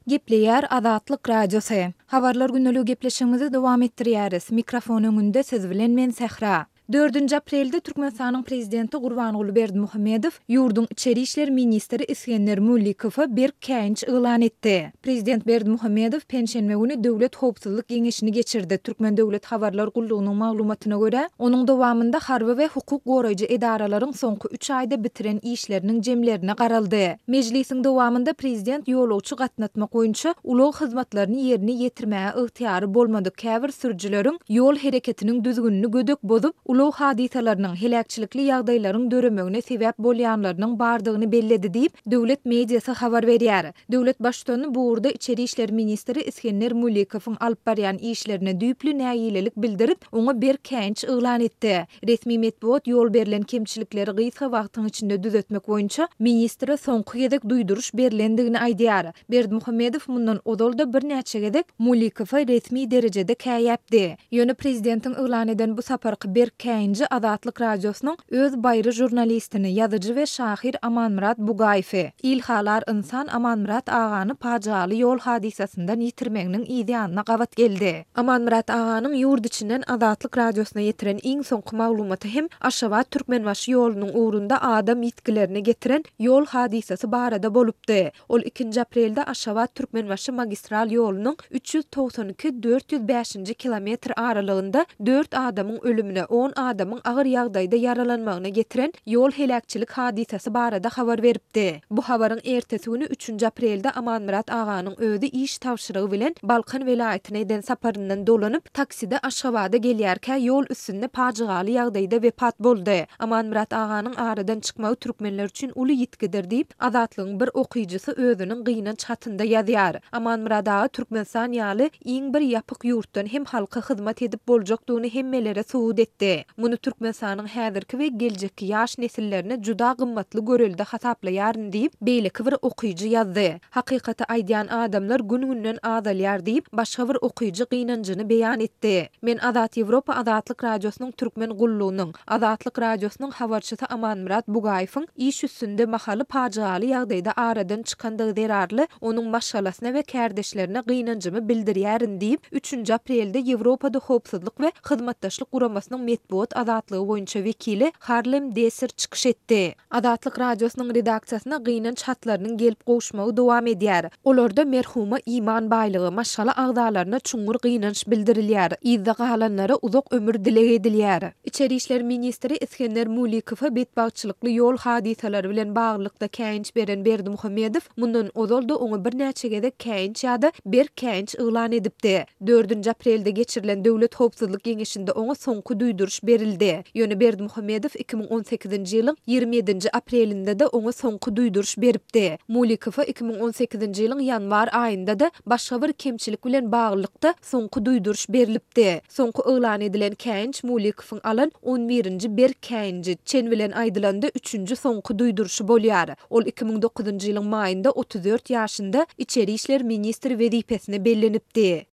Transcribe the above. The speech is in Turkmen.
Gepleýär Azatlyk Radiosy. Habarlar gündeligi gepleşigimizi dowam etdirýäris. Mikrofon öňünde siz bilen men Sähra. Dördünji aprelde Türkmenistanyň Prezidenti Gurbanguly Berdimuhamedow ýurduň içeri işler ministri Isgender Müllikowa berk käýinç yglan etdi. Prezident Berdimuhamedow penşenbe güni Döwlet howpsuzlyk geňeşini geçirdi. Türkmen döwlet habarlar gullugynyň maglumatyna görä, onuň dowamynda harby we hukuk goraýjy edaralaryň soňky üç aýda bitiren işleriniň jemlerine garaldy. Mejlisiň dowamynda prezident ýolagçy gatnatmak boýunça ulag hyzmatlaryny ýerine ýetirmäge ygtyýary bolmadyk käbir sürüjileriň ýol hereketiniň düzgünini gödek bozup, ulag hadysalarynyň, heläkçilikli ýagdaýlaryň döremegine sebäp bolýanlarynyň bardygyny belledi diýip, döwlet mediasy habar berýär. Döwlet Baştutany bu ugurda içeri işler ministri Isgender Mulikowyň alyp barýan işlerine düýpli nägilelik bildirip, oňa berk käýinç yglan etdi. Resmi metbugat ýol berlen kemçilikleri gysga wagtyň içinde düzetmek boýunça ministre soňky gezek duýduryş berlendigini aýdýar. Berdimuhamedow mundan ozal-da birnäçe gezek Mulikowa resmi derejede käýäpdi. Ýöne prezidentiň yglan eden bu saparky berk käýinji Azatlyk Radiosynyň öz baýry žurnalistini, ýazyjy we şahyr Amanmyrat Bugaýewi, ilhalar ynsan Amanmyrat agany pajygaly ýol hadysasyndan ýitirmeginiň yz ýanyna gabat geldi. Amanmyrat aganyň ýurt içinden Azatlyk Radiosyna ýetiren iň soňky maglumaty hem Aşgabat-Türkmenbaşy ýolunyň ugrunda adam ýitgilerine getiren ýol hadysasy barada bolupdy. Ol ikinji aprelde Aşgabat-Türkmenbaşy magistral ýolunyň 392, 405-nji kilometr aralygynda dört adamyň ölümine, on adamyň agyr ýagdaýda ýaralanmagyna getiren ýol heläkçilik hadysasy barada habar beripdi. Bu habaryň ertesi güni üçünji aprelde Amanmyrat aganyň özi iş tabşyrygy bilen Balkan welaýatyna eden saparyndan dolanyp, takside Aşgabada gelýärkä ýol üstünde pajygaly ýagdaýda wepat boldy. Amanmyrat aganyň aradan çykmagy türkmenler üçin uly ýitgidir diýip, Azatlygyň bir okyjysy özüniň gynanç hatynda ýazýar. Amanmyrat aga Türkmenistan ýaly iň bir ýapyk ýurtdan hem halka hyzmat edip boljakdygyny hemmelere subut etdi. Muny Türkmenistanyň häzirki we geljekki ýaş nesillerine juda gymmatly görelde hasaplaýaryn diýip, beýleki bir okyjy ýazdy. Hakykaty aýdýan adamlar gün-günden azalýar diýip, başga bir okyjy gynanjyny beýan etdi. Men Azat Ýewropa Azatlyk Radiosynyň Türkmen gullugynyň, Azatlyk Radiosynyň habarçysy Amanmyrat Bugaýewiň iş üstünde mahaly pajygaly ýagdaýda aradan çykandygy zerarly onuň maşgalasyna we kärdeşlerine gynanjymy bildirýärin diýip, üçünji aprelde Ýewropada Howpsuzlyk we Hyzmatdaşlyk Guramasynyň metbugat azatlygy boýunça wekili Harlem Desser çykyş etdi. Azatlyk Radiosynyň redaksiýasyna gynanç hatlarynyň gelip gowuşmagy dowam edýär. Olarda merhuma iman baýlygy, maşgala agzalaryna çuňňur gynanç bildirilýär, yzda galanlara uzak ömür dileg edilýär. Içeri işler ministri Isgender Mulikowa betbagtçylykly ýol hadysalary bilen baglylykda käýinç beren Berdimuhamedow mundan ozal-da oňa birnäçe gezek käýinç ýa-da berk käýinç yglan edipdi. Dördünji aprelde geçirilen Döwlet howpsuzlyk geňeşinde oňa soňky duýduryş berildi. Ýöne Berdimuhamedow 2018-nji ýylyň 27-nji aprelinde-de oňa soňky duýduryş beripdi. Mulikowa 2018-nji ýylyň ýanwar aýynda-da başga bir kemçilik bilen baglylykda soňky duýduryş berlipdi. Soňky yglan edilen käýinç Mulikowyň alan on birinji berk käýinji, çen bilen aýdylanda üçünji soňky duýduryşy bolýar. Ol 2009-njy ýylyň maýynda 34 ýaşynda içeri işler ministri wezipesine bellenipdi.